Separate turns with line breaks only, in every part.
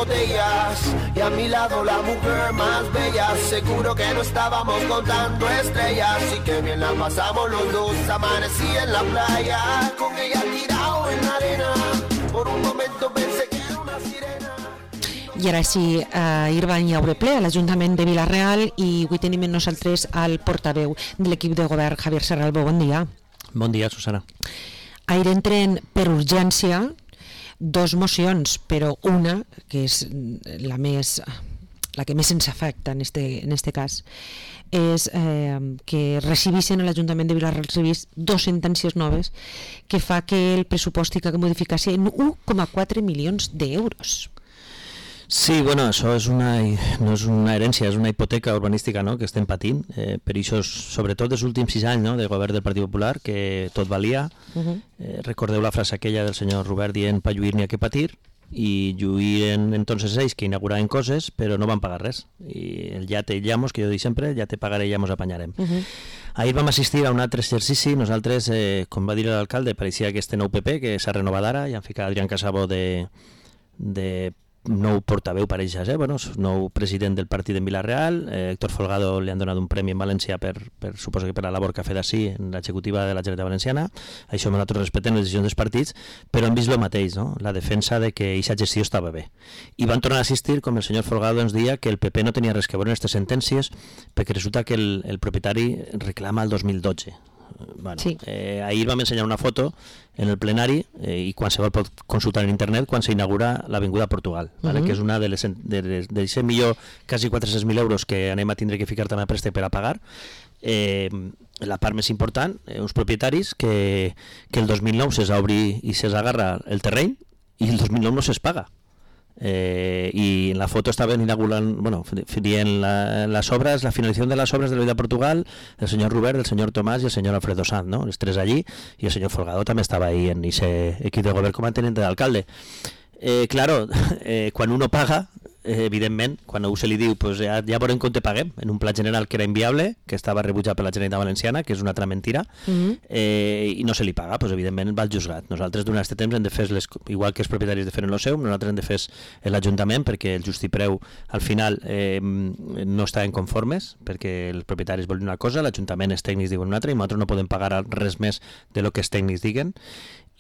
botellas y a mi lado la mujer más bella. Seguro que no estábamos contando estrellas y que bien la pasamos los dos. Amanecí en la playa con ella tirado en la arena. Por un momento pensé que era una sirena.
I ara sí, ahir van hi haver ple a l'Ajuntament de Vila-real i avui tenim amb nosaltres el portaveu de l'equip de govern, Javier Serralbo. Bon dia.
Bon dia, Susana.
Ahir entren per urgència dos mocions, però una, que és la que més ens afecta en este cas, és que recibissin a l'Ajuntament de Vila-real dos sentències noves que fa que el pressupost tingui que modificar-se en 1,4 milions d'euros.
Sí, bueno, això no és una herència, és una hipoteca urbanística, no?, que estem patint, per això, sobretot els últims 6 anys, no?, del govern del Partit Popular, que tot valia. Recordeu la frase aquella del senyor Robert dient «pa lluir n'hi ha que patir», i lluïen entonces ells que inauguraven coses, però no van pagar res. I el ja te llamos, que jo dic sempre, ja te pagaré, ja mos apanyarem. Ahir vam assistir a un altre exercici. Nosaltres, com va dir l'alcalde, pareixia que este nou PP, que s'ha renovat ara, i han ficat Adrián Casabo de nou portaveu, pareix ser, nou president del partit en Vila-real. Héctor Folgado li han donat un premi en València suposo que per la labor que ha fet així en l'executiva de la Generalitat Valenciana. Això nosaltres respetem les decisions dels partits, però hem vist el mateix, no?, la defensa de que aquesta gestió estava bé. I van tornar a assistir, com el senyor Folgado ens deia, que el PP no tenia res que veure en aquestes sentències perquè resulta que el propietari reclama el 2012. Bueno, sí. Ahir vam ensenyar una foto en el plenari i qualsevol pot consultar en internet quan s'inaugura l'Avinguda Portugal, vale? Que és una de ser millor quasi 400.000 euros que anem a tindre que ficar també a préstec per a pagar. La part més important, uns propietaris que el 2009 se'ls obri i se'ls agarra el terreny i el 2009 no se'ls paga. Y en la foto estaban inaugurando, en las obras, la finalización de las obras de la Vida Portugal, el señor Robert, el señor Tomás y el señor Alfredo Sanz, ¿no? Los tres allí, y el señor Folgado también estaba ahí en ese equipo de gobierno como teniente de alcalde. Claro, quan uno paga, evidentment, quan a se li diu pues ja veurem com te paguem, en un pla general que era inviable, que estava rebutjat per la Generalitat Valenciana, que és una altra mentira, i no se li paga, pues evidentment va al juzgat. Nosaltres durant aquest temps hem de fer, igual que els propietaris de fer en el seu, nosaltres hem de fer l'Ajuntament, perquè el justipreu al final no estaven conformes, perquè els propietaris volen una cosa, l'Ajuntament, els tècnics diuen una altra, i nosaltres no podem pagar res més de lo que els tècnics diguen.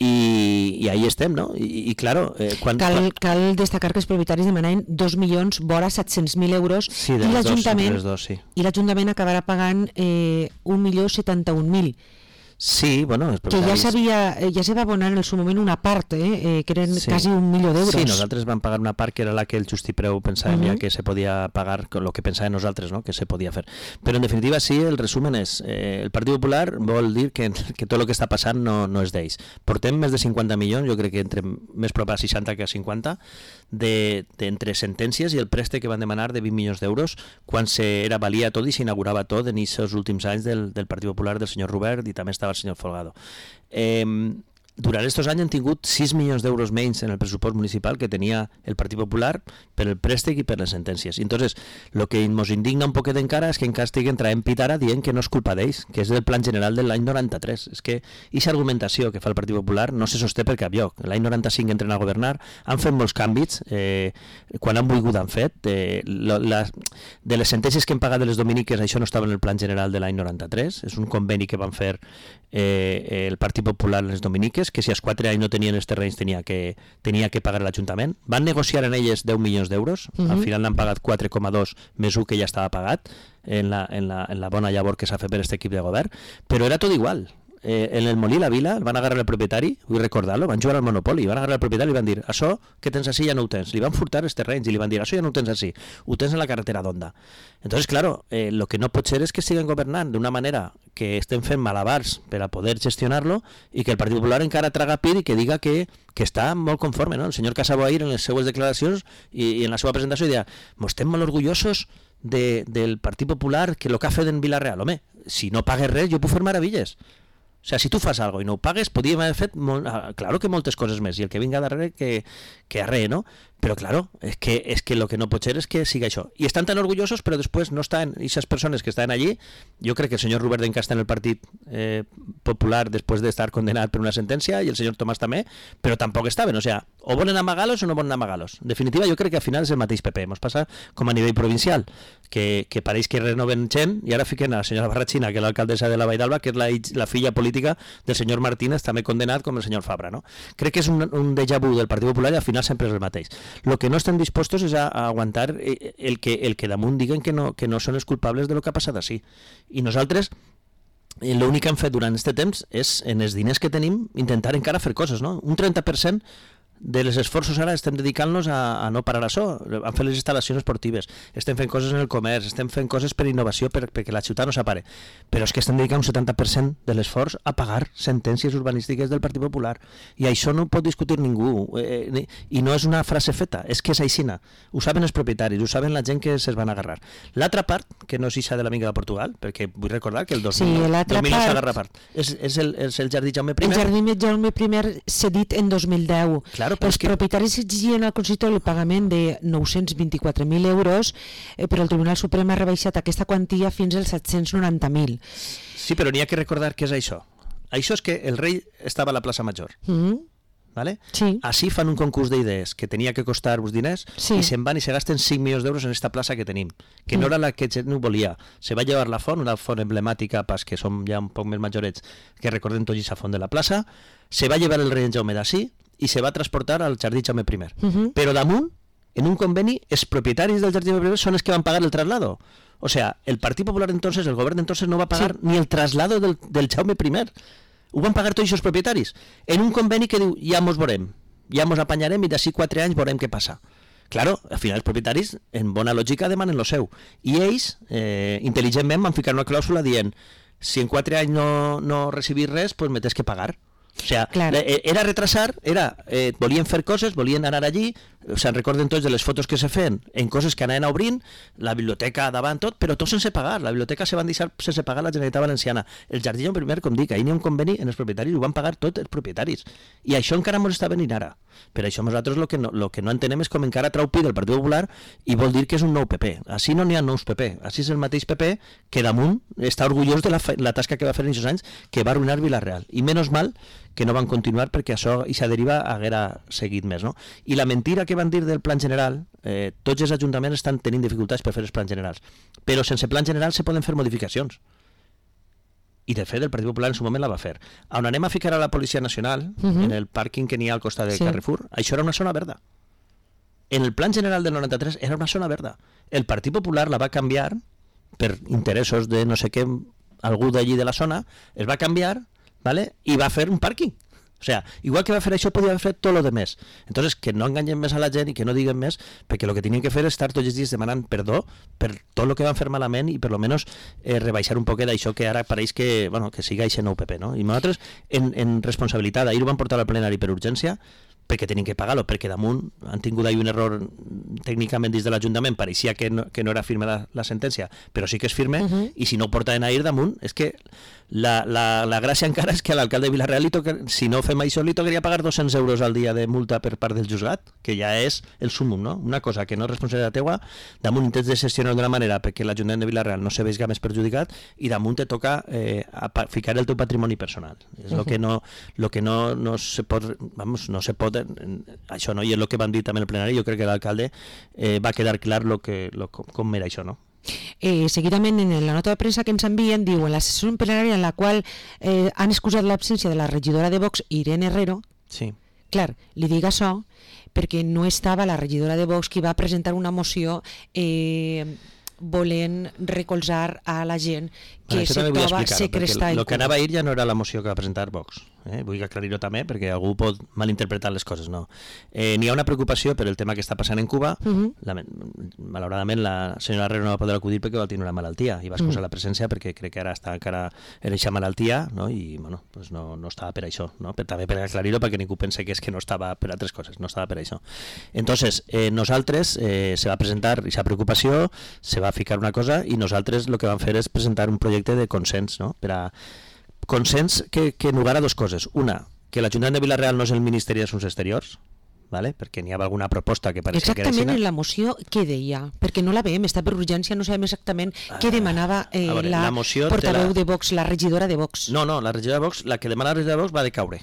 I ahí estem, no? I claro...
Cal destacar que els propietaris demanaven 2.700.000 euros
sí,
i l'Ajuntament
sí.
Acabarà pagant 1.071.000.
Sí, bueno...
Que ja se va abonar en el seu moment una part, que eren quasi 1 milió d'euros.
Sí, nosaltres vam pagar una part que era la que el justipreu pensàvem ja que se podia pagar, el que pensàvem nosaltres, no?, que se podia fer. Però en definitiva sí, el resumen és, el Partit Popular vol dir que tot el que està passant no és d'ells. Portem més de 50 milions, jo crec que entre més prop a 60 que a 50, entre sentències i el préstec que van demanar de 20 milions d'euros quan valia tot i s'inaugurava tot en aquests últims anys del Partit Popular del senyor Robert i també estava el senyor Folgado. Durant aquests anys han tingut 6 milions d'euros menys en el pressupost municipal que tenia el Partit Popular per el préstec i per les sentències. I entonces, el que ens indigna un poquet encara és que encara estiguen traient pit ara dient que no és culpa d'ells, que és del plan general de l'any 93. És que aquesta argumentació que fa el Partit Popular no se sosté per cap lloc. L'any 95 entren a governar, han fet molts canvis, quan han volgut han fet. De les sentències que hem pagat de les dominiques, això no estava en el plan general de l'any 93, és un conveni que van fer el Partit Popular en les dominiques, que si als 4 anys no tenien els terrenys tenia que pagar l'Ajuntament. Van negociar en elles 10 milions d'euros, al final n'han pagat 4,2 més 1 que ja estava pagat en la bona llavor que s'ha fet per aquest equip de govern, però era tot igual. En el Molí la Vila van agarrar el propietari, vull recordar-lo, van jugar al Monopoli, van agarrar el propietari i van dir, això que tens així ja no ho tens, li van furtar els terrenys i li van dir, això ja no ho tens així, ho tens en la carretera d'Onda. Entonces, claro, lo que no pot ser és que estiguen governant d'una manera que estem fent malabars per a poder gestionar-lo i que el Partit Popular encara traga pit i que diga que està molt conforme, no? El senyor Casabo ahir en les seues declaracions i en la seva presentació deia, estem molt orgullosos del Partit Popular que el que ha fet en Vila-real. Home, si no pagues res, jo puc fer meravilles. O sea, si tu fas algo i no ho pagues, podíem haver fet claro que moltes coses més, i el que vinga darrere que arree, no? Però, claro, es que lo que no pot ser és que siga això. I estan tan orgullosos, però després no estan, aquestes persones que estan allí, jo crec que el senyor Robert Denca està en el Partit Popular després d'estar condenat per una sentència, i el senyor Tomàs també, però tampoc estaven, o sea, o volen amagar-los o no volen amagar-los. En definitiva, jo crec que al final és el mateix PP. Ens passa com a nivell provincial, que pareix que renoven gent, i ara fiquen a la senyora Barratxina, que és l'alcaldessa de la Vall d'Alba, que és la filla política del senyor Martínez, també condenat com el senyor Fabra, no? Crec que és un déjà vu del Partit Popular i al final sempre és el mateix. Lo que no estem dispostos és a aguantar el que damunt diguen que no són els culpables de lo que ha passat així. I nosaltres l'únic que hem fet durant aquest temps és, en els diners que tenim, intentar encara fer coses, no? Un 30% de les esforços ara estem dedicant-nos a no parar això, a fer les instal·lacions esportives, estem fent coses en el comerç, estem fent coses per innovació perquè la ciutat no s'apare, però és que estem dedicant un 70% de l'esforç a pagar sentències urbanístiques del Partit Popular, i això no ho pot discutir ningú, i no és una frase feta, és que és aixina, ho saben els propietaris, ho saben la gent que se's van agarrar. L'altra part, que no és ixa de l'amiga de Portugal, perquè vull recordar que el 2009 s'agarra part, és el Jardí Jaume I.
El Jardí Jaume I cedit en 2010.
Claro,
els propietaris exigien al consistori el pagament de 924.000 euros, però el Tribunal Suprem ha rebaixat aquesta quantia fins als 790.000.
Sí, però n'hi ha que recordar què és això. Això és que el rei estava a la plaça Major. ¿Vale?
Sí.
Així fan un concurs d'idees que tenia que costar uns diners,
sí,
i se'n van i se gasten 5 milions d'euros en esta plaça que tenim, que no era la que no volia. Se va llevar la font, una font emblemàtica pas que som ja un poc més majorets, que recordem tots aquesta font de la plaça, se va llevar el rei Jaume d'ací i se va transportar al Jardí Jaume I. Però damunt, en un conveni, els propietaris del Jardí Jaume I són els que van pagar el traslado. O sea, el Partit Popular entonces, el govern entonces no va pagar ni el traslado del Jaume I. Ho van pagar tots els propietaris. En un conveni que diu, ja mos veurem, ja mos apanyarem i d'ací 4 anys veurem què passa. Claro, al final els propietaris, en bona lògica, demanen lo seu. I ells, intel·ligentment, van ficar una clàusula dient, si en 4 anys no recibís res, pues me tens que pagar. O sea, claro, era retrasar, volien fer coses, volien anar allí, se'n recorden tots de les fotos que se feien en coses que anaven obrint, la biblioteca davant tot, però tot sense pagar, la biblioteca se van deixar sense pagar la Generalitat Valenciana. El Jardí Jaume I, com dic, ahir n'hi ha un conveni en els propietaris, ho van pagar tots els propietaris, i això encara ens està venint ara. Per això nosaltres el que no entenem és com encara trau pit del Partit Popular i vol dir que és un nou PP. Així no n'hi ha nous PP, així és el mateix PP que damunt està orgullós de la tasca que va fer en aquests anys, que va arruïnar Vila-real, i menys mal que no van continuar perquè això i sa deriva haguera seguit més, no? I la mentira que van dir del plan general, tots els ajuntaments estan tenint dificultats per fer els plans generals, però sense plan general se poden fer modificacions, i de fet el Partit Popular en su moment la va fer. On anem a ficar a la Policia Nacional, en el pàrquing que n'hi ha al costat de Carrefour, això era una zona verda. En el plan general del 93 era una zona verda. El Partit Popular la va canviar per interessos de no sé què, algú d'allí de la zona, es va canviar, ¿vale? I va fer un pàrquing. O sea, igual que va fer això, podia haver fet tot lo de més. Entonces, que no enganyem més a la gent i que no diguen més, perquè el que tenien que fer és estar tots els dies demanant perdó per tot el que van fer malament i per lo menos rebaixar un poquet d'això que ara pareix que, bueno, que siga aquest nou PP, no? I nosaltres, en responsabilitat, ahir ho van portar al plenari per urgència, perquè tenien que pagar-lo, perquè damunt han tingut ahir un error tècnicament dins de l'Ajuntament, pareixia que no era firme la sentència, però sí que és firme, i si no ho portaven ahir damunt, és que la gràcia encara és que a l'alcalde de Vila-real, si no fem això, li tocaria pagar 200 euros al dia de multa per part del juzgat, que ja és el súmum, no? Una cosa que no és responsabilitat teua, damunt intents de gestionar d'una manera perquè l'Ajuntament de Vila-real no se veiga més perjudicat, i damunt te toca ficar el teu patrimoni personal. És el que no se pot, no se pot això, no? I és el que van dir també en el plenari. Jo crec que l'alcalde va quedar clar com era això, no?
Seguidament en la nota de premsa que ens envien diu, en la sessió plenària en la qual han excusat l'absència de la regidora de Vox, Irene Herrero.
Sí.
Clar, li dic això perquè no estava la regidora de Vox qui va presentar una moció volent recolzar a la gent que se troba segrestada.
El que anava a ir ja no era la moció que va presentar Vox. Vull aclarir-ho també perquè algú pot malinterpretar les coses. No. N'hi ha una preocupació per el tema que està passant en Cuba. Malauradament la senyora Herrero no va poder acudir perquè va tenir una malaltia i va excusar la presència perquè crec que ara està encara en aquesta malaltia, no? I bueno, pues no estava per això, no? També per aclarir-ho perquè ningú pense que és que no estava per altres coses, no estava per això. Entonces, nosaltres se va presentar aquesta preocupació, se va ficar una cosa i nosaltres el que vam fer és presentar un projecte de consens, no? Per a consens que en lugar a dues coses. Una, que l'Ajuntament de Vila-real no és el Ministeri d'Assumptes Exteriors, ¿vale? Perquè n'hi havia alguna proposta que pareixia que era
Exactament
així.
en la moció què deia? Perquè no la veiem, està per urgència, no sabem exactament què demanava la portaveu de Vox, la regidora de Vox.
No, la regidora de Vox, la que demana la regidora de Vox va de caure.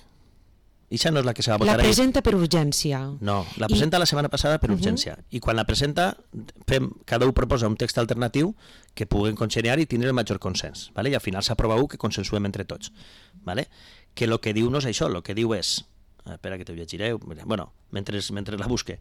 Ixa no és la que se va votar ahir.
La presenta per urgència.
No, la presenta la setmana passada per urgència. I quan la presenta, cada un proposa un text alternatiu que puguen congeniar i tindre el major consens. ¿Vale? I al final s'aprova un que consensuem entre tots. ¿Vale? Que el que diu no és això, el que diu és... Espera que te llegiré, bueno, mentre la busque.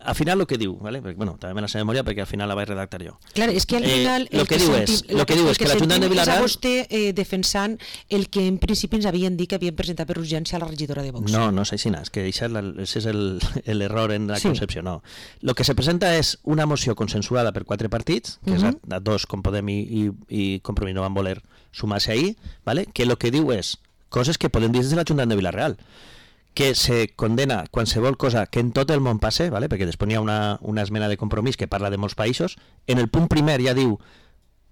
Al final el que diu, ¿vale? Perquè, bueno, també me la sé de memòria perquè al final la vaig redactar jo.
Clar, és que al final
el que diu és que l'Ajuntament de Vila-real...
És a vostè defensant el que en principi ens havien dit que havien presentat per urgència a la regidora de Vox.
No és així, és que això és l'error en la concepció, no. El que se presenta és una moció consensuada per 4 partits, que és a 2 com Podem i Compromís no van voler sumar-se ahir, ¿vale? Que el que diu és coses que podem dir des de l'Ajuntament de Vila-real, que se condena qualsevol cosa que en tot el món passe, ¿vale? Perquè després n'hi ha una esmena de Compromís que parla de molts països. En el punt primer ja diu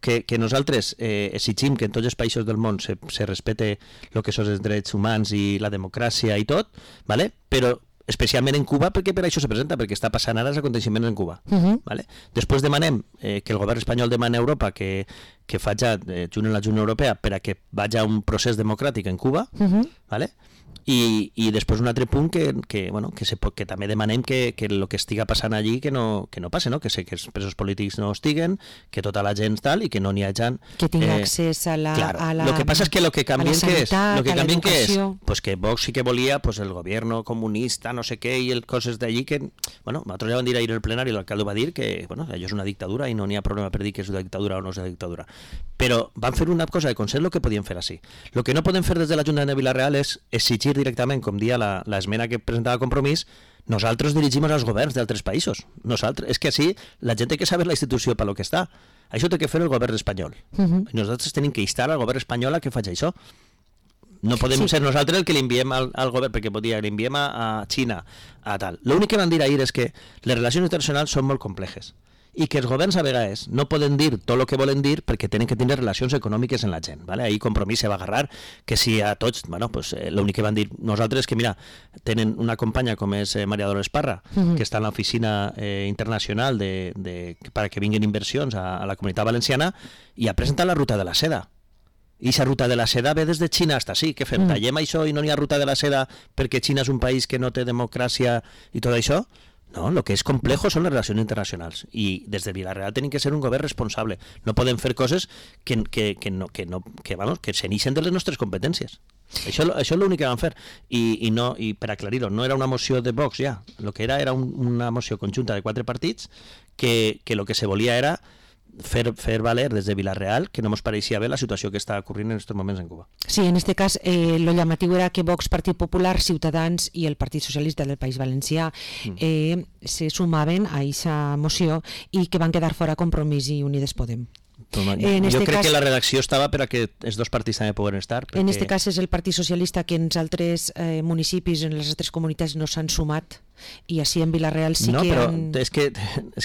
que nosaltres exigim que en tots els països del món se respecte el que són els drets humans i la democràcia i tot, ¿vale? Però especialment en Cuba, perquè per això se presenta, perquè està passant ara els aconteixements en Cuba. ¿Vale? Després demanem que el govern espanyol demani a Europa que faci junt amb la Unió Europea per a que vagi a un procés democràtic en Cuba, ¿vale? I després un altre punt que també demanem que el que estiga passant allí que no passe, no? Que els presos polítics no estiguen, que tota la gent tal i que no n'hi hagi...
Que tingui accés a la
Lo que passa és que lo que canvien que és pues que Vox sí que volia pues el gobierno comunista, no sé què, i el coses d'allí que... Bueno, nosaltres ja vam dir ahir en el plenari, l'alcalde va dir que bueno, allò és una dictadura i no n'hi ha problema per dir que és una dictadura o no és una dictadura. Però van fer una cosa de consens el que podien fer així. El que no podem fer des de l'Ajuntament de Vila-real és exigir directament, com dia l'esmena que presentava Compromís, nosaltres dirigim als governs d'altres països. Nosaltres, és que així la gent té que saber la institució per lo que està. Això té que fer el govern espanyol. I nosaltres tenim que instar al govern espanyol a que faci això. No podem ser nosaltres el que l'enviem al govern, perquè podria l'enviem a Xina, a tal. L'únic que van dir ahir és que les relacions internacionals són molt complexes i que els governs a vegades no poden dir tot el que volen dir perquè tenen que tenir relacions econòmiques amb la gent. ¿Vale? Ahir Compromís se va agarrar que si a tots, bueno, pues, l'únic que van dir nosaltres que, mira, tenen una companya com és Maria Dolores Parra, que està en l'oficina internacional per que vinguin inversions a la Comunitat Valenciana i ha presentat la ruta de la seda. I aquesta ruta de la seda ve des de Xina fins sí. Què fem? Tallem això i no n'hi ha ruta de la seda perquè Xina és un país que no té democràcia i tot això? No, el que és complejo són les relacions internacionals i des de Vila-real tenim que ser un govern responsable. No podem fer coses que se n'ixen de les nostres competències. Això és l'únic que van fer. I per aclarir-ho, no era una moció de Vox ja. El que era una moció conjunta de 4 partits que el que se volia era fer valer des de Vila-real que no ens pareixia bé la situació que està ocorrint en aquests moments en Cuba.
Sí, en este cas lo llamatiu era que Vox, Partit Popular, Ciutadans i el Partit Socialista del País Valencià se sumaven a aquesta moció i que van quedar fora Compromís i Unides Podem.
Jo crec que la redacció estava per a que els dos partits també poden estar.
En aquest cas és el Partit Socialista que en els altres municipis, en les altres comunitats no s'han sumat i així en Vila-real sí que...
No, però és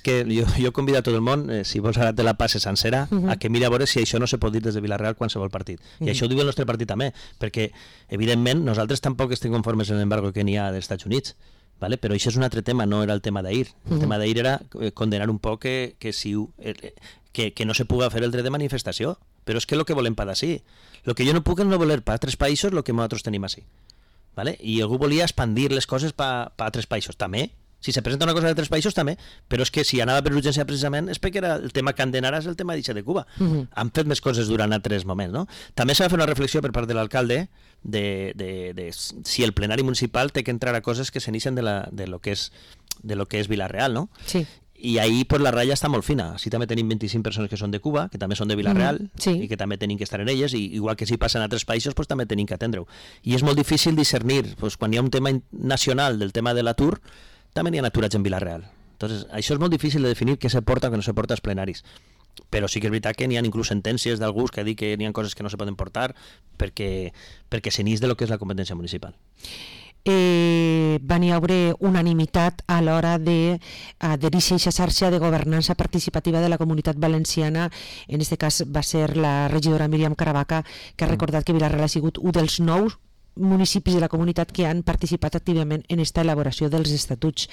que jo convido a tot el món, si vols ara te la passe sencera, a que miri a veure si això no se pot dir des de Vila-real qualsevol partit. I això ho diu el nostre partit també, perquè evidentment nosaltres tampoc estem conformes en l'embargo que n'hi ha dels Estats Units. ¿Vale? Però això és un altre tema, no era el tema d'ahir. El tema d'ahir era condenar un poc que no se puga fer el dret de manifestació. Però és que el que volem per d'ací. El que jo no puc és no voler per altres països el que nosaltres tenim així. ¿Vale? I algú volia expandir les coses per altres països. També. Si se presenta una cosa d'altres països, també. Però és que si anava per urgència precisament és perquè era el tema que han d'anar és el tema d'Ixa de Cuba. Han fet més coses durant altres moments, no? També s'ha de fer una reflexió per part de l'alcalde de si el plenari municipal té que entrar a coses que s'inixen de lo que és Vila-real, no?
Sí.
I ahí pues, la ratlla està molt fina. Així també tenim 25 persones que són de Cuba, que també són de Vila-real, i que també tenim que estar en elles, i igual que si passen a altres països, pues, també tenim que atendre-ho. I és molt difícil discernir, pues, quan hi ha un tema nacional del tema de l'atur, també n'hi ha aturats en Vila-real. Entonces, això és molt difícil de definir què se porta o què no se porta als plenaris. Però sí que és veritat que n'hi ha inclús sentències d'alguns que diuen que n'hi ha coses que no se poden portar perquè se n'ix de lo que és la competència municipal.
Van hi haver unanimitat a l'hora d'adherir-se a aquesta xarxa de governança participativa de la Comunitat Valenciana. En aquest cas va ser la regidora Míriam Caravaca, que ha recordat que Vila-real ha sigut un dels 9 municipis de la comunitat que han participat activament en esta elaboració dels estatuts.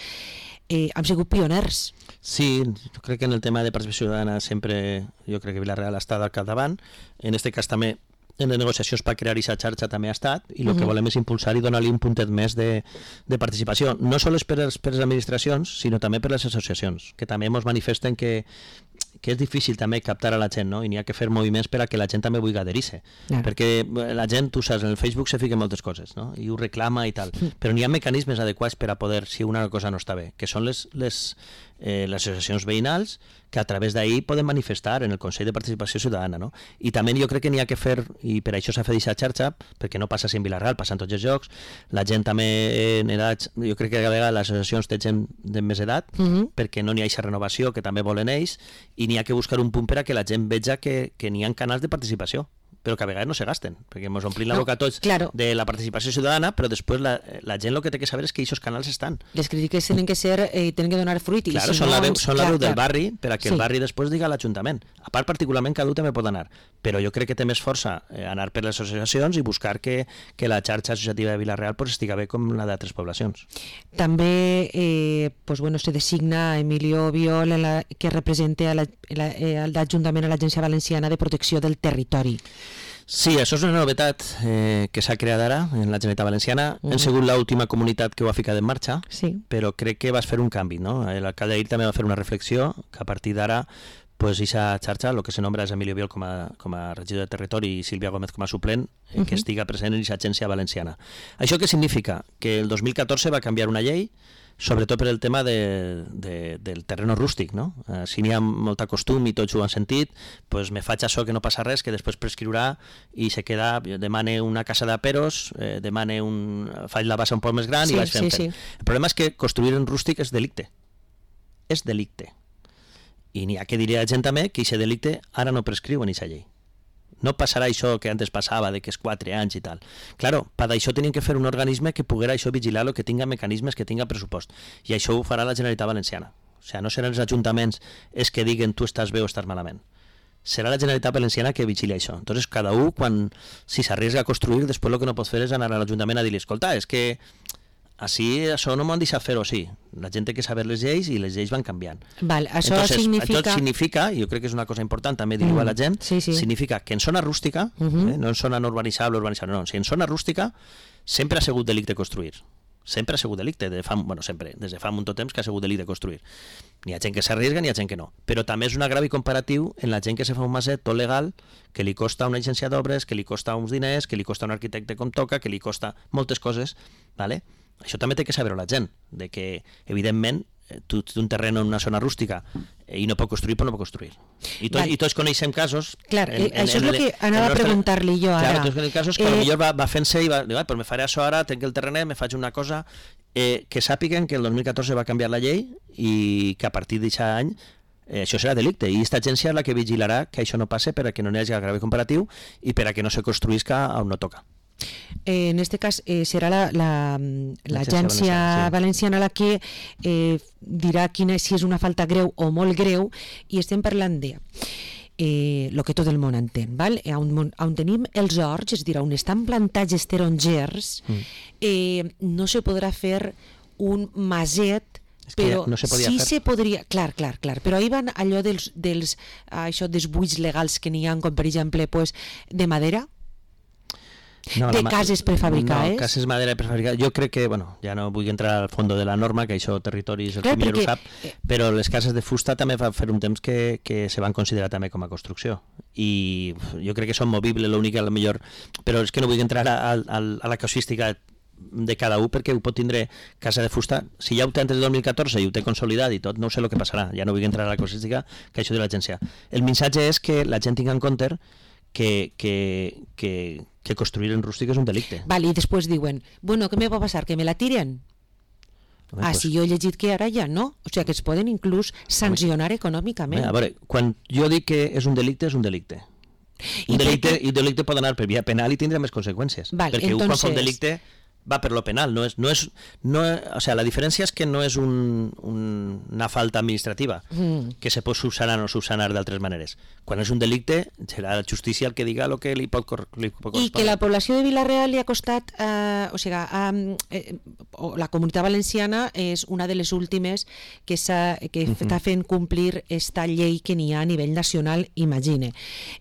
Hem sigut pioners.
Sí, jo crec que en el tema de participació ciutadana sempre jo crec que Vila-real ha estat al capdavant. En aquest cas també en les negociacions per crear aquesta xarxa també ha estat, i el que volem és impulsar i donar-li un puntet més de participació, no sols per les administracions, sinó també per les associacions, que també ens manifesten que és difícil també captar a la gent, no? I n'hi ha que fer moviments per a que la gent també vulgui adherir-se, perquè la gent, tu saps, en el Facebook se fica moltes coses, no? I ho reclama i tal, però n'hi ha mecanismes adequats per a poder, si una cosa no està bé, que són les associacions veïnals, que a través d'ahir poden manifestar en el Consell de Participació Ciutadana, no? I també jo crec que n'hi ha que fer, i per això s'ha fet aquesta xarxa, perquè no passa en Vila-real, passa en tots els llocs, la gent també en edats, jo crec que a vegades les associacions té gent de més edat, perquè no n'hi ha aquesta renovació que també volen ells, i n'hi ha que buscar un punt per a que la gent veja que n'hi ha canals de participació, però que a vegades no se gasten, perquè ens omplim la boca tots de la participació ciutadana, però després la gent el que té que saber és que aquests canals estan.
Les crítiques tenen que ser, tenen que donar fruit.
Claro, són la veu del barri, per a que el barri després diga a l'Ajuntament. A part, particularment, cada un també pot anar, però jo crec que té més força anar per les associacions i buscar que la xarxa associativa de Vila-real estiga bé com la d'altres poblacions.
També se designa Emilio Biol, que representa l'Ajuntament a l'Agència Valenciana de Protecció del Territori.
Sí, això és una novetat que s'ha creat ara en la Generalitat Valenciana. Hem sigut l'última comunitat que ho ha ficat en marxa, però crec que vas fer un canvi, no? L'alcalde d'ahir també va fer una reflexió que a partir d'ara aquesta xarxa, el que se nombra és Emilio Biol com a regidor de Territori i Sílvia Gómez com a suplent, que estiga present en aquesta agència valenciana. Això què significa? Que el 2014 va canviar una llei, sobretot per el tema del terreno rústic, no? Si n'hi ha molta costum i tots ho han sentit, doncs me faig això que no passa res, que després prescriurà i se queda, demane una casa de peros, faig la bassa un poc més gran i vaig fent. El problema és que construir en rústic és delicte. És delicte. I n'hi ha que dir a la gent també que aquest delicte ara no prescriu en aquesta llei. No passarà això que antes passava, de que és 4 anys i tal. Claro, per això tenien que fer un organisme que poguera això vigilar-lo, que tinga mecanismes, que tinga pressupost. I això ho farà la Generalitat Valenciana. O sigui, no seran els ajuntaments els que diguen tu estàs bé o estàs malament. Serà la Generalitat Valenciana que vigili això. Entonces, cada un, si s'arriesga a construir, després el que no pot fer és anar a l'Ajuntament a dir-li, escolta, és que així això no m'han deixat fer-ho, sí. La gent té que saber les lleis i les lleis van canviant.
Això
significa, i jo crec que és una cosa important també dir-ho a la gent, significa que en zona rústica, no en zona no urbanitzable, no, si en zona rústica sempre ha sigut delicte construir. Sempre ha sigut delicte, des de fa molt temps que ha sigut delicte construir. N'hi ha gent que s'arriesga, n'hi ha gent que no. Però també és un agravi comparatiu en la gent que se fa un maset tot legal, que li costa una agència d'obres, que li costa uns diners, que li costa un arquitecte com toca, que li costa moltes coses, ¿vale? Això també té que saber la gent, de que, evidentment, tu tens un terreny en una zona rústica i no pot construir, però no pot construir. I tots coneixem casos...
Clar, això és el que anava a preguntar-li jo ara.
Clar, tots coneixem casos que potser va fent-se i va dir, però me faré això ara, tenc el terrenet, me faig una cosa... Que sàpiguen que el 2014 va canviar la llei i que a partir d'aquest any això serà delicte, i aquesta agència és la que vigilarà que això no passe per a que no hi hagi grave comparatiu i per a que no se construïsca on no toca.
En este cas serà l'agència valenciana la que dirà si és una falta greu o molt greu, i estem parlant de el que tot el món entén, val? On tenim els horts, és a dir, on estan plantats els tarongers, no se podrà fer un maset, però no sí se podria, clar, però ahir van allò dels buits legals que n'hi ha, com per exemple de madera, de cases prefabricades.
No, cases madera prefabricades. Jo crec que, ja no vull entrar al fons de la norma, que això Territori és el que millor ho sap, però les cases de fusta també va fer un temps que se van considerar també com a construcció. I jo crec que són movibles, l'únic, a lo millor, però és que no vull entrar a la casuística de cada un, perquè ho pot tindre casa de fusta, si ja ho té antes del 2014 i ho té consolidat i tot, no sé el que passarà, ja no vull entrar a la casuística que això de l'agència. El missatge és que la gent tingui en compte que construir en rústic és un delicte.
I després diuen, què me va passar? Que me la tiren? Si jo he llegit que ara ja no, o sigui que es poden inclús sancionar econòmicament.
A veure, quan jo dic que és un delicte, és un delicte. Un delicte pot anar per via penal i tindre més conseqüències, perquè quan fa un delicte va per lo penal, o sea, la diferència és que no és un una falta administrativa que se pot subsanar o subsanar d'altres maneres. Quan és un delicte, serà la justícia el que diga el que li pot correspondre.
I que la població de Vila-real li ha costat, la Comunitat Valenciana és una de les últimes que està fent complir esta llei que n'hi ha a nivell nacional, imagine.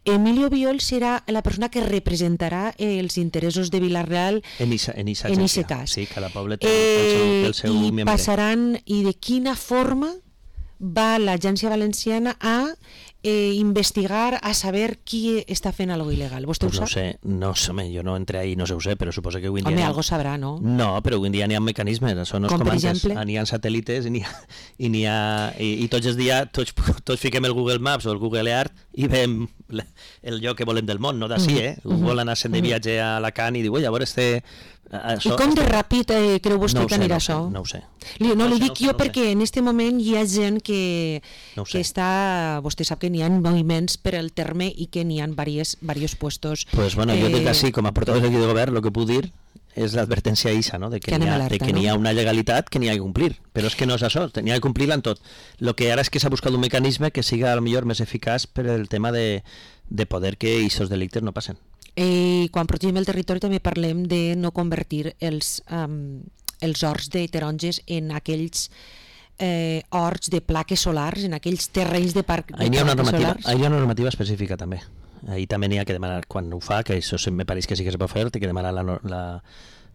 Emilio Biol serà la persona que representarà els interessos de Vila-real en aquest cas.
Sí, cada poble té el seu membre.
I passaran, i de quina forma va l'Agència Valenciana a investigar, a saber qui està fent algo il·legal. Vostè ho sap?
No sé, jo no entré ahí, no sé ho sé, però suposo que avui en dia...
Home, algo sabrà, no?
No, però avui en dia n'hi ha mecanismes, això no és com antes, n'hi ha satèl·lites i tots els dies tots fiquem el Google Maps o el Google Earth i veiem el lloc que volem del món, no d'ací, vol anar de viatge a Alacant i diu, oi, a veure
I com de ràpid creu vostè que anirà això?
No ho sé.
No, li dic jo perquè en aquest moment hi ha gent que està... Vostè sap que n'hi ha moviments per al terme i que n'hi ha diversos puestos.
Pues bueno, jo des d'ací, com a portaveu d'aquí de govern, el que puc dir és l'advertència eixa, no? de que n'hi ha una legalitat que n'hi ha que complir, però és que no és això, n'hi ha que complir-la en tot. El que ara és que s'ha buscat un mecanisme que siga millor més eficaç per el tema de poder que aquests delictes no passen.
Quan protegim el territori també parlem de no convertir els horts de taronges en aquells horts de plaques solars, en aquells terrenys de plaques solars.
Hi ha una normativa específica també. Ahí també n'hi ha que demanar, quan ho fa, que això me pareix que sí que se pot fer, té que demanar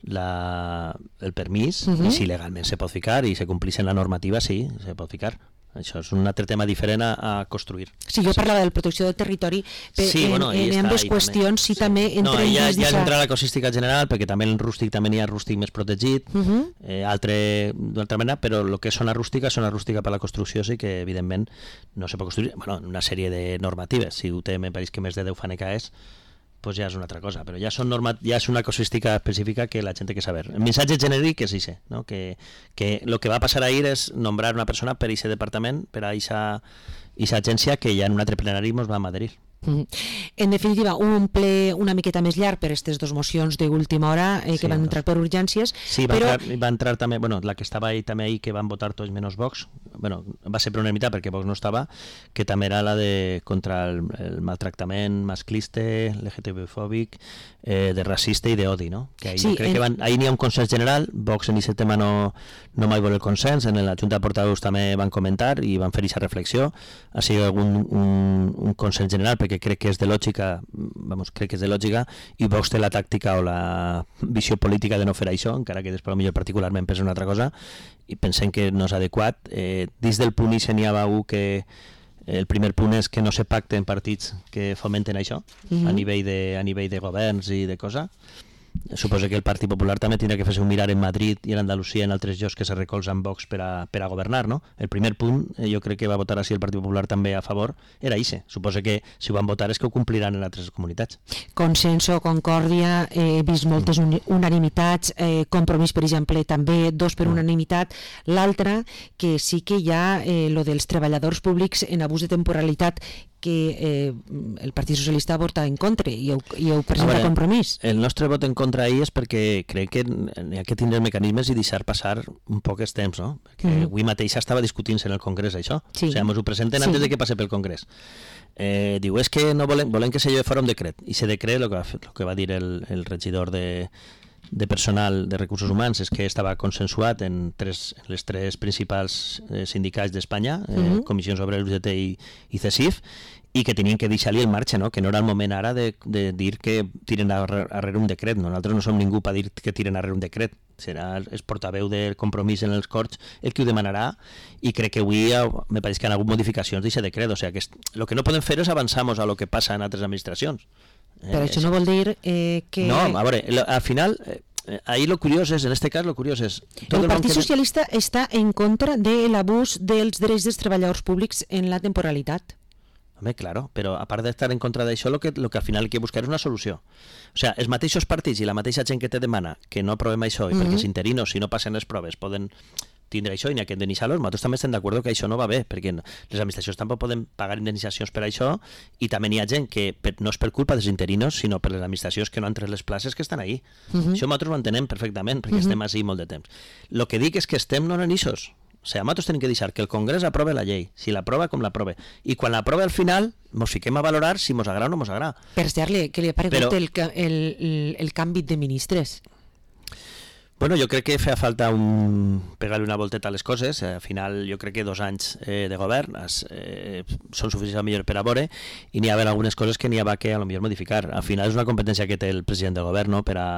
el permís, i si legalment se pot ficar i se complís en la normativa, sí, se pot ficar. Això és un altre tema diferent a construir.
Sí, jo parlava de la protecció del territori, en ambdues qüestions, sí, també
entrem dins d'això. Ja entra la cosística general, perquè també en el rústic també n'hi ha rústic més protegit, d'altra manera, però el que és zona rústica per la construcció, sí que evidentment no se pot construir, una sèrie de normatives, si ho té, me pareix que més de 10 fanecaes, pues ja és una altra cosa, però ja és una cosística específica que la gent té que saber. El missatge genèric és això, ¿no? Que lo que va a passar ahir és nombrar una persona per a aquest departament, per a aquesta agència que ja en un altre plenari ens va adherir.
En definitiva, un ple una miqueta més llarg per aquestes dues mocions d'última hora que van entrar per urgències.
Sí, va entrar també, la que estava ahí també ahir, que van votar tots menys Vox, va ser per unanimitat perquè Vox no estava, que també era la de contra el maltractament masclista, LGTB-fòbic, de racista i d'odi, no? Que crec que ahir n'hi ha un consens general, Vox en aquest tema no mai vol el consens, en la Junta de Portaveus també van comentar i van fer aquesta reflexió, ha sigut un consens general perquè crec que és de lògica, i Vox té la tàctica o la visió política de no fer això, encara que després millor particularment pensa una altra cosa, i pensem que no és adequat. Dins del punt i n'hi ha un que el primer punt és que no se pacten partits que fomenten això a nivell de governs i de cosa. Suposo que el Partit Popular també tindrà que fer-se un mirar en Madrid i en Andalusia, en altres llocs que se recolzen Vox per a governar, no? El primer punt, jo crec que va votar així el Partit Popular també a favor, era ixe. Suposo que si ho van votar és que ho compliran en altres comunitats. Consenso,
concòrdia, he vist moltes unanimitats, Compromís, per exemple, també, 2 per unanimitat. L'altra, que sí que hi ha lo dels treballadors públics en abús de temporalitat, que el Partit Socialista vota en contra i ho presenta Compromís.
El nostre vot en contra ahir és perquè crec que hi ha que tindre mecanismes i deixar passar un poc el temps, no? Perquè avui mateix estava discutint-se en el Congrés això, o sigui, ens ho presenten antes de que passe pel Congrés. Diu, és que no volem que se lleve fora un decret, i ese decret, el que va dir el regidor de personal de recursos humans és que estava consensuat en les 3 principals sindicats d'Espanya, Comissions Obreres, UGT i CESIF, i que tenien que deixar-li el marge, no? Que no era el moment ara de dir que tiren darrere un decret. Nosaltres no som ningú per dir que tiren darrere un decret. Serà el portaveu del Compromís en els Corts el que ho demanarà, i crec que avui me pareix que hi ha hagut modificacions d'aquest decret. O sigui, el que no podem fer és avançar-nos a lo que passa en altres administracions.
Però això no vol dir que...
No, a veure, al final... Ahí lo curioso es, en este cas, lo curioso es...
El Partit Socialista està en contra de l'abús dels drets dels treballadors públics en la temporalitat.
Home, claro, però a part d'estar en contra d'això, lo que al final hay que buscar és una solució. O sigui, els mateixos partits i la mateixa gent que te demana que no aprovem això, i perquè els interinos, si no passen les proves, poden tindre això i n'hi ha que indemnitzar-los, nosaltres també estem d'acord que això no va bé, perquè les administracions tampoc poden pagar indemnitzacions per això, i també n'hi ha gent que no és per culpa dels interinos, sinó per les administracions que no han tret les places que estan ahí. Això nosaltres ho entenem perfectament, perquè estem així molt de temps. El que dic és que estem no en eixos. O sigui, nosaltres tenim que deixar que el Congrés aprove la llei, si l'aprova com l'aprove, i quan l'aprova al final mos fiquem a valorar si mos agrada o no mos agrada.
Per cert, què li ha paregut el canvi de ministres?
Bueno, jo crec que feia falta pegar-li una volteta a les coses. Al final jo crec que 2 anys de govern són suficients millor per a veure, i n'hi ha algunes coses que n'hi ha que a lo millor modificar. Al final és una competència que té el president del govern, no?, per a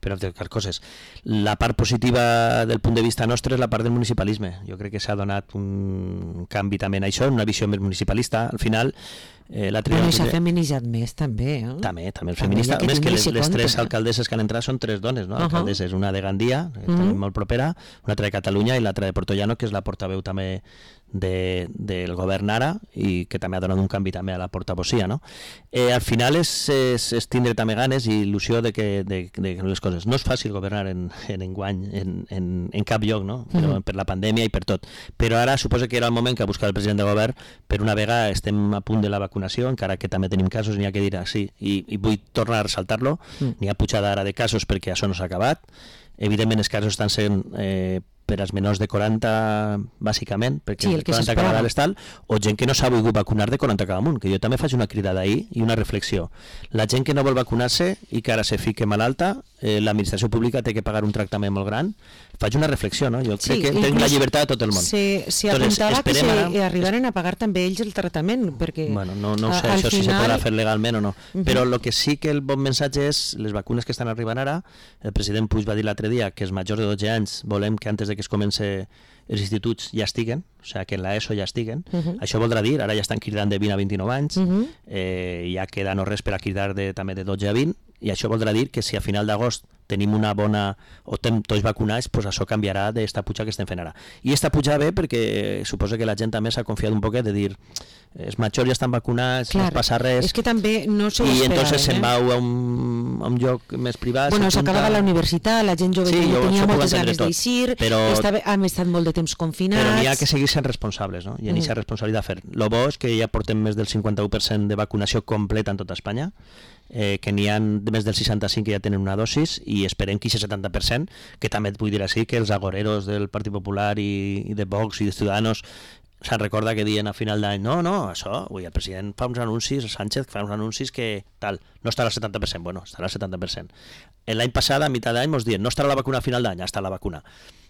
modificar coses. La part positiva del punt de vista nostre és la part del municipalisme. Jo crec que s'ha donat un canvi també en això, una visió més municipalista. Al final
bueno, i s'ha feminitzat més també, eh?
També el feminista, més que les 3 alcaldesses que han entrat són 3 dones, no? Alcaldesses, una de Gandia, que tenim molt propera, una altra de Catalunya i l'altra de Portollano, que és la portaveu també del govern ara, i que també ha donat un canvi també a la portavocia, no? Al final és tindre també ganes i il·lusió de les coses. No és fàcil governar enguany en cap lloc, no? Però per la pandèmia i per tot. Però ara suposo que era el moment que ha buscat el president de govern. Per una vegada estem a punt de la vacunació, encara que també tenim casos, n'hi ha que dir sí, i vull tornar a ressaltar-lo, n'hi ha pujada ara de casos perquè això no s'ha acabat. Evidentment els casos estan sent per als menors de 40 bàsicament, perquè
sí,
40 cada dalt tal, o gent que no s'ha volgut vacunar de 40 cada amunt, que jo també faig una cridada ahir i una reflexió. La gent que no vol vacunar-se i que ara se fique malalta, l'administració pública té que pagar un tractament molt gran. Faig una reflexió, no? Jo crec que tenen la llibertat de tot el món.
Se apuntava que arribaren a pagar també ells el tractament, perquè...
Bueno, no sé això si se podrà fer legalment o no, però el que sí que el bon missatge és les vacunes que estan arribant ara. El president Puig va dir l'altre dia que els majors de 12 anys volem que antes de que es comenci els instituts ja estiguen, o sigui, que en l'ESO ja estiguen. Això voldrà dir, ara ja estan cridant de 20 a 29 anys, ja queda no res per a cridar també de 12 a 20, i això voldrà dir que si a final d'agost tenim una bona, o tenim tots vacunats, pues això canviarà d'esta puja que estem fent ara. I esta puja ve perquè suposo que la gent també s'ha confiat un poquet de dir els majors ja estan vacunats, no passa res.
És que també no s'ho
esperaven. I entonces se'n va a un lloc més privat.
Bueno, s'acabava la universitat, la gent jove tenia moltes ganes d'eixir, hem estat molt de temps confinats.
Però n'hi ha que seguir sent responsables, no? I en aquesta responsabilitat fer. Lo bo és que ja portem més del 51% de vacunació completa en tota Espanya, que n'hi ha més del 65% que ja tenen una dosis, i esperem que aquest 70%, que també et vull dir així, que els agoreros del Partit Popular i de Vox i de Ciudadanos se'n recorda que diuen a final d'any no, això, el president fa uns anuncis, Sánchez fa uns anuncis que tal, no estarà al 70%, bueno, estarà al 70%. L'any passat, a meitat d'any, ens diuen no estarà la vacuna a final d'any, ja està la vacuna.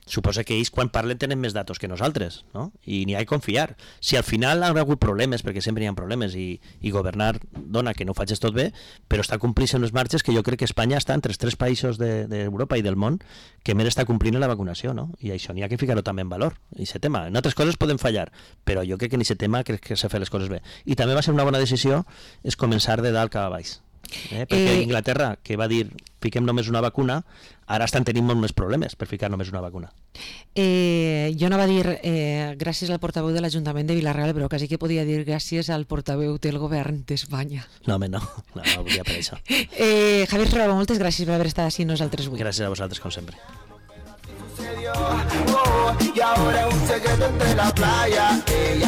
Suposa que ells quan parlen tenen més datos que nosaltres, no? I n'hi ha que confiar. Si al final han hagut problemes, perquè sempre hi ha problemes, i governar dona que no ho facis tot bé, però està complint les marxes que jo crec que Espanya està entre els 3 països d'Europa i del món que més està complint la vacunació, no? I això n'hi ha que ficar-ho també en valor, aquest tema. En altres coses poden fallar, però jo crec que en aquest tema crec que s'ha fet les coses bé. I també va ser una bona decisió és començar de dalt cap a baix. Perquè Inglaterra, que va dir fiquem només una vacuna, ara estan tenint molt més problemes per ficar només una vacuna.
Jo no va dir gràcies al portaveu de l'Ajuntament de Vila-real, però quasi que podia dir gràcies al portaveu del govern d'Espanya.
No, home, no volia per això.
Javier Serrabo, moltes gràcies per haver estat així nosaltres avui.
Gràcies a vosaltres, com sempre.
Y ahora es un secreto entre la playa. Ella